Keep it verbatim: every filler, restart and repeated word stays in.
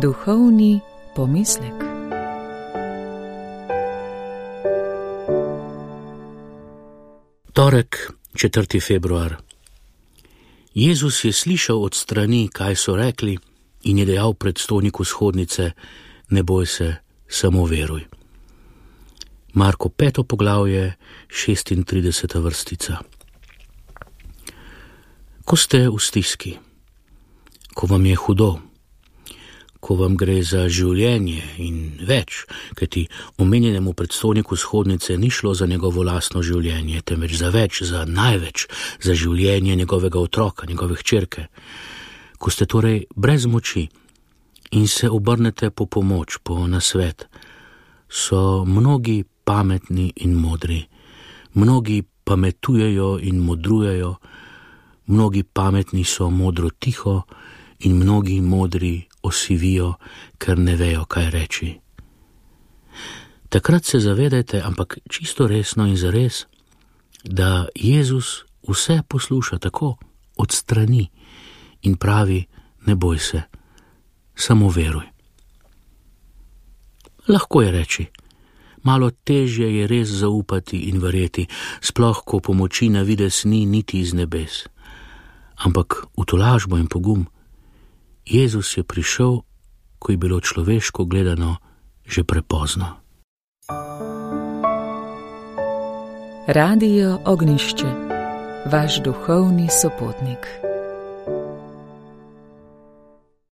Duhovni pomislek. Torek, četrti februar. Jezus je slišal od strani, kaj so rekli, in je dejal predstojniku shodnice: ne boj se, samo veruj. Marko peto poglavje, šestintrideseta vrstica. Ko ste v stiski, ko vam je hudo, ko vam gre za življenje in več, kajti omenjenemu predstojniku shodnice ni šlo za njegovo lastno življenje, temveč za več, za največ, za življenje njegovega otroka, njegove hčerke. Ko ste torej brez moči in se obrnete po pomoč, po nasvet, so mnogi pametni in modri, mnogi pametujejo in modrujejo, mnogi pametni so modro tiho in mnogi modri osivijo, ker ne vejo, kaj reči. Takrat se zavedajte, ampak čisto resno in zares, da Jezus vse posluša tako od strani in pravi: ne boj se, samo veruj. Lahko je reči, malo težje je res zaupati in verjeti, sploh ko pomoči na videz ni niti iz nebes. Ampak v tolažbo in pogum Jezus je prišel, ko je bilo človeško gledano že prepozno. Radio Ognjišče, vaš duhovni sopotnik.